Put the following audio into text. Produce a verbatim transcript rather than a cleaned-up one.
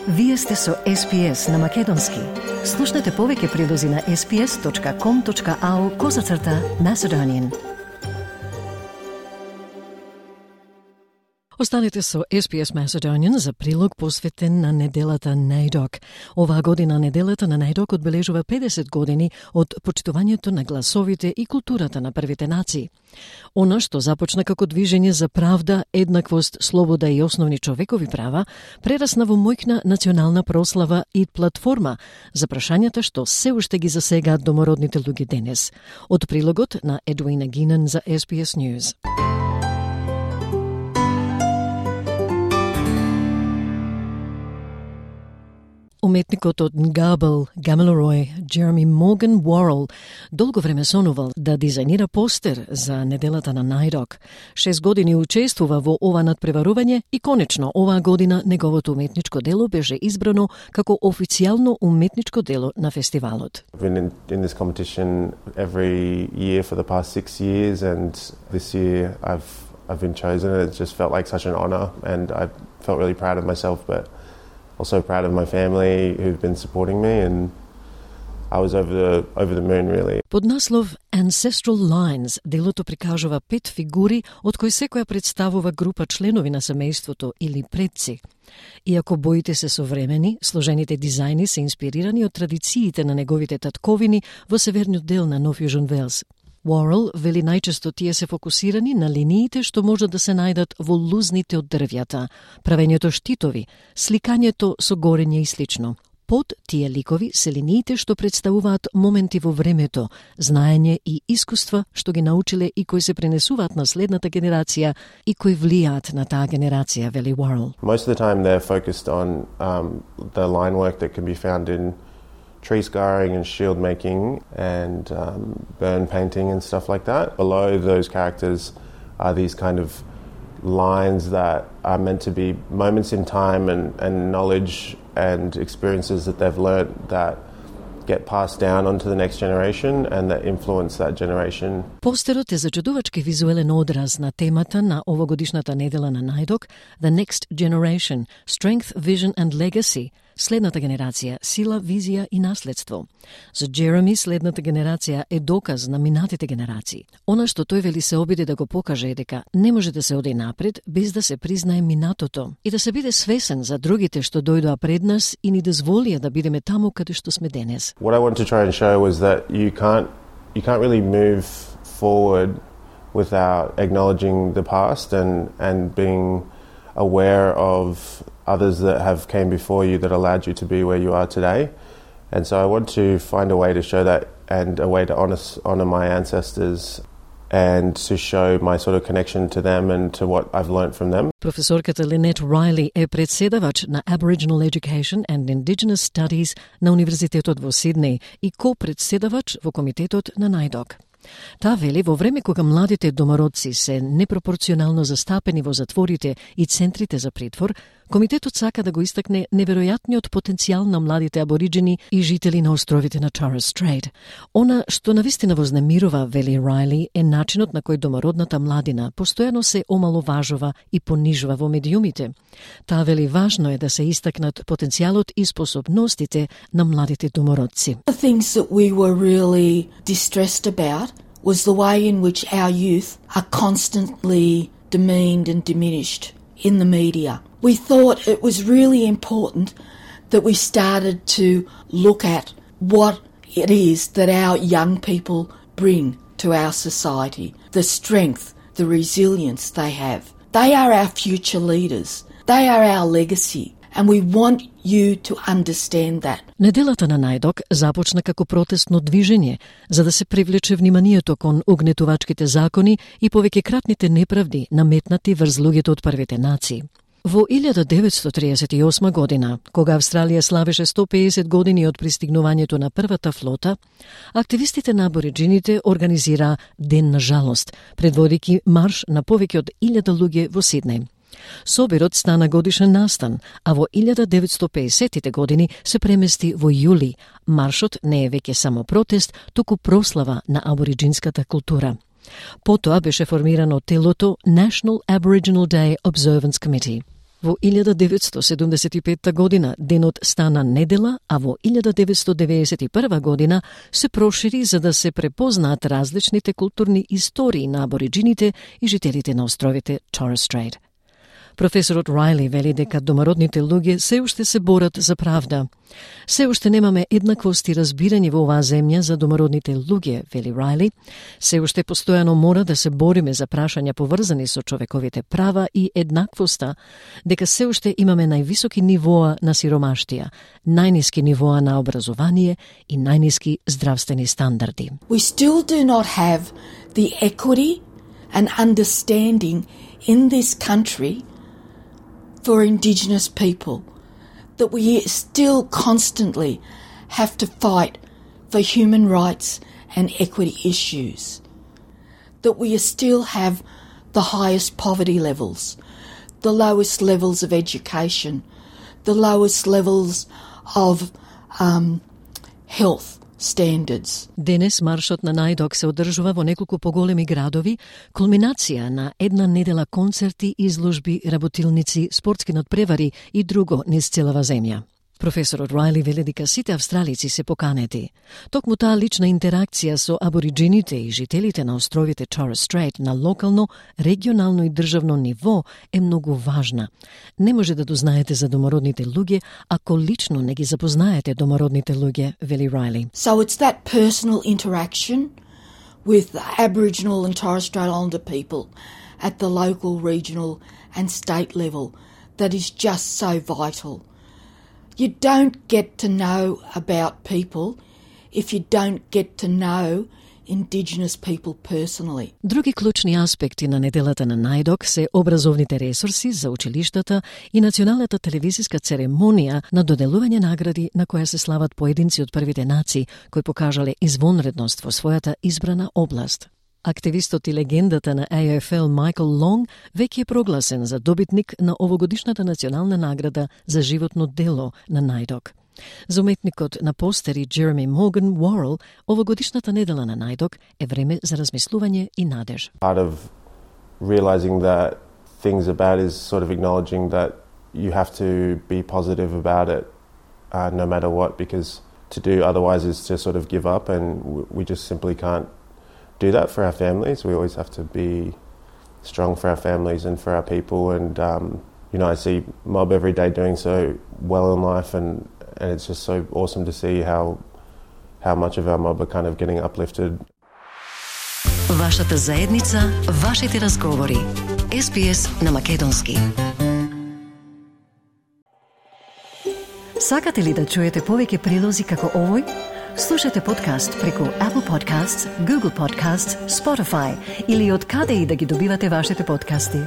Вие сте со Ес Би Ес на Македонски. Слушнете повеќе прилози на ес би ес точка ком точка ау козацрта Macedonian. Останете со Ес Би Ес Macedonian за прилог посветен на неделата Најдок. Оваа година неделата на Најдок одбележува педесет години од почитувањето на гласовите и културата на првите нации. Она што започна како движење за правда, еднаквост, слобода и основни човекови права, прерасна во мојкна национална прослава и платформа за прашањата што се уште ги засегаат домородните луѓе денес. Од прилогот на Едуина Гинен за Ес Би Ес News. Уметникот од Ngabel, Gamilaroi, Jeremy Morgan Worrell, долго време сонувал да дизајнира постер за неделата на Најдок. Шест години учествува во ова надпреварување и конечно оваа година неговото уметничко дело беше избрано како официјално уметничко дело на фестивалот. I've been in, in this competition every year for the past six years and this year I've I've been chosen and it just felt like such an honor and I felt really proud of myself but also proud of my family who've been supporting me and I was over the over the moon really. Под наслов Ancestral Lines делото прикажува пет фигури од кои секоја представува група членови на семејството или предци. Иако боите се современи, сложените дизајни се инспирирани од традициите на неговите татковини во северниот дел на Нов Јужен Велс. Worrell вели најчесто тие се фокусирани на линиите што можат да се најдат во лузните од дрвјата, правењето штитови, сликањето со горење и слично. Под тие ликови се линиите што представуваат моменти во времето, знаење и искуства што ги научиле и кои се пренесуваат на следната генерација и кои влијаат на таа генерација, вели Worrell. Most of the time they're focused on um, the line work that can be found in tree scarring and shield making and um, burn painting and stuff like that. Below those characters are these kind of lines that are meant to be moments in time and, and knowledge and experiences that they've learnt that get passed down onto the next generation and that influence that generation. Постерот е зачудувачки визуелен одраз на темата на овогодишната недела на Најдок, The Next Generation, Strength, Vision and Legacy, следната генерација, сила, визија и наследство. За Джереми, следната генерација е доказ на минатите генерации. Она што тој вели се обиде да го покаже е дека не може да се оди напред без да се признае минатото и да се биде свесен за другите што дојдоа пред нас и ни дозволија да бидеме таму каде што сме денес. What I want to try and show was that you can't you can't really move forward without acknowledging the past and and being aware of others that have came before you that allowed you to be where you are today. And so I want to find a way to show that and a way to honor, honor my ancestors and to show my sort of connection to them and to what I've learnt from them. Професорката Линет Райли е председавач на Aboriginal Education and Indigenous Studies на Универзитетот во Сиднеј и ко-председавач во комитетот на Најдок. Таа вели во време кога младите домородци се непропорционално застапени во затворите и центрите за притвор, комитетот сака да го истакне неверојатниот потенцијал на младите абориджини и жители на островите на Торрес Стрейт. Она што навистина вознемирува, вели Райли, е начинот на кој домородната младина постојано се омаловажува и понижува во медиумите. Таа вели важно е да се истакнат потенцијалот и способностите на младите домородци. The things that we were really distressed about was the way in which our youth are constantly demeaned and diminished in the media. We thought it was really important that we started to look at what it is that our young people bring to our society, the strength, the resilience they have. They are our future leaders. They are our legacy. And we want you to understand that. Неделата на Најдок започна како протестно движење за да се привлече вниманието кон угнетувачките закони и повеќекратните неправди наметнати врз луѓето од првите нации. Во илјада деветстотини триесет и осма година, кога Австралија славеше сто педесет години од пристигнувањето на првата флота, активистите на абориджините организираа Ден на жалост, предводики марш на повеќе од илјада луѓе во Сиднеј. Собирот стана годишен настан, а во илјада деветстотини педесетите години се премести во јули. Маршот не е веќе само протест, туку прослава на абориджинската култура. Потоа беше формирано телото National Aboriginal Day Observance Committee. Во илјада деветстотини седумдесет и петта година денот стана недела, а во илјада деветстотини деведесет и прва година се прошири за да се препознаат различните културни истории на абориджините и жителите на островите Торres Strait. Професорот Райли вели дека домородните луѓе се уште се борат за правда. Се уште немаме еднаквост и разбирање во оваа земја за домородните луѓе, вели Райли. Се уште постојано мора да се бориме за прашања поврзани со човековите права и еднаквоста, дека се уште имаме највисоки нивоа на сиромаштија, најниски нивоа на образование и најниски здравствени стандарди. We still do not have the equity and understanding in this country for Indigenous people, that we still constantly have to fight for human rights and equity issues, that we still have the highest poverty levels, the lowest levels of education, the lowest levels of um, health standards. Денес маршот на најдок се одржува во неколку поголеми градови, кулминација на една недела концерти, изложби, работилници, спортски надпревари и друго низ целава земја. Професорот Райли вели дека сите австралици се поканети. Токму таа лична интеракција со абориджините и жителите на островите Торres Strait на локално, регионално и државно ниво е многу важна. Не може да дознаете за домородните луѓе ако лично не ги запознаете домородните луѓе, вели Райли. So it's that personal interaction with the Aboriginal and Torres Strait Islander people at the local, regional and state level that is just so vital. You don't get to know about people if you don't get to know Indigenous people personally. Други клучни аспекти на неделата на најдок се образовните ресурси за училиштата и националната телевизиска церемонија на доделување награди на која се слават поединци од првите нации кои покажале извонредност во својата избрана област. Активистот и легендата на A F L Майкл Лонг веќе е прогласен за добитник на овогодишната национална награда за животно дело на најдок. За уметникот на постери Джереми Морган Уорел, овогодишната недела на најдок е време за размислување и надеж. Part of realizing that things are bad is sort of acknowledging that you have to be positive about it uh, no matter what, because to do otherwise is to sort of give up, and we just simply can't do that for our families. We always have to be strong for our families and for our people, and um, you know, I see Mob every day doing so well in life, and, and it's just so awesome to see how how much of our mob are kind of getting uplifted. Вашата заедница, вашите разговори. С Б С на македонски. Сакате ли да чуете повеќе прилози како овој? Слушате подкаст преку Apple Podcasts, Google Podcasts, Spotify или од каде и да ги добивате вашите подкасти.